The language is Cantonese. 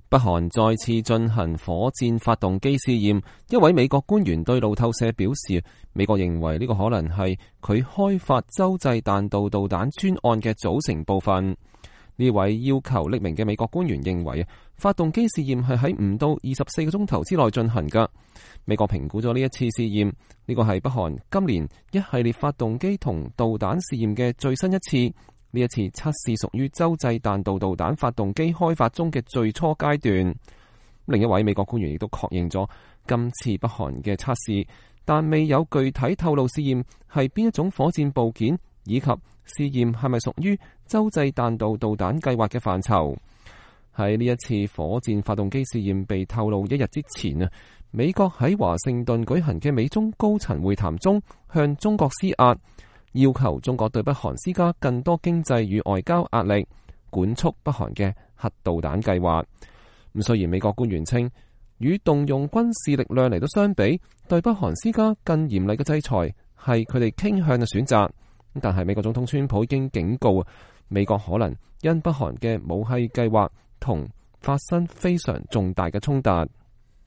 北韓再次進行火箭發動機試驗，一位美國官員對路透社表示，美國認為呢個可能係佢開發洲際彈道導彈專案嘅組成部分。呢位要求匿名嘅美國官員認為，發動機試驗係喺唔到24個鐘頭之內進行㗎。美國評估咗呢一次試驗，呢個係北韓今年一系列發動機同導彈試驗嘅最新一次。呢一次測試屬於洲際彈道導彈發動機開發中嘅最初階段。另一位美國官員亦都確認咗今次北韓嘅測試，但未有具體透露試驗係邊一種火箭部件，以及試驗係咪屬於洲際彈道導彈計劃嘅範疇。喺呢一次火箭發動機試驗被透露一日之前啊，美國喺華盛頓舉行嘅美中高層會談中向中國施壓，要求中國對北韓施加更多經濟與外交壓力，管束北韓嘅核導彈計劃。咁雖然美國官員稱，與動用軍事力量嚟到相比，對北韓施加更嚴厲嘅制裁係佢哋傾向嘅選擇。但係美國總統川普已經警告，美國可能因北韓嘅武器計劃同發生非常重大嘅衝突。